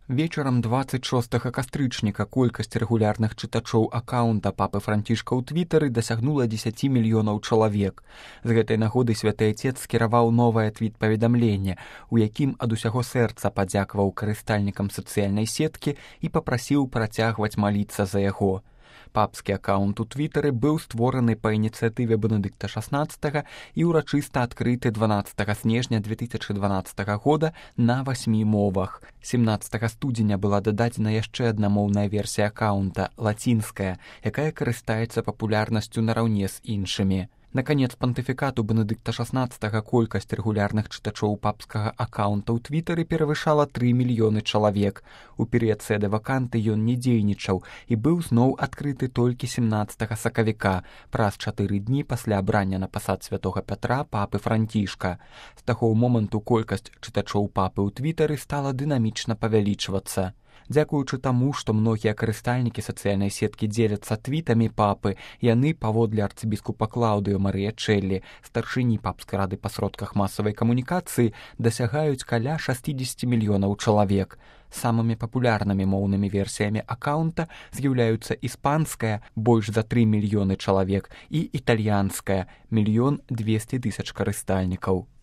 Вечарам 26 кастрычніка колькасць рэгулярных чытачоў акаунта папы Францішка ў твітары дасягнула 10 мільёнаў чалавек. З гэтай нагоды святы отец скіраваў новае твіт-паведамленне, у якім ад усяго сэрца падзякаваў карыстальнікам сацыяльнай сеткі і папрасіў працягваць маліцца за яго. Папскі акаунт у твітары быў створаны па ініцыятыве Бенедыкта XVI і ўрачыста адкрыты 12 снежня 2012 года на 8 мовах. 17 студзеня была дададзена яшчэ адна моўная версія акаунта, лацінская, якая карыстаецца папулярнасцю нараўне з іншымі. На канец пантыфікату Бенедыкта XVI колькасць рэгулярных чытачоў папскага акаунта ў твітары перавышала 3 мільёны чалавек. У перыяд сэды ваканты ён не дзейнічаў і быў зноў адкрыты толькі 17 сакавіка, праз 4 дні пасля абрання на пасад святога Пятра папы Францішка. З таго моманту колькасць чытачоў папы ў твітары стала дынамічна павялічвацца. Дзякуючы таму, што многія карыстальнікі сацыяльнай сеткі дзеляцца твітамі папы, яны, паводле арцыбіскупа Клаўдыё Марыя Чэллі, старшыні папскай рады па сродках масавай камунікацыі, дасягаюць каля 60 мільёнаў чалавек. Самымі папулярнымі моўнымі версіямі акаунта з'яўляюцца іспанская, больш за 3 мільёны чалавек, і італьянская, 1 200 000 карыстальнікаў.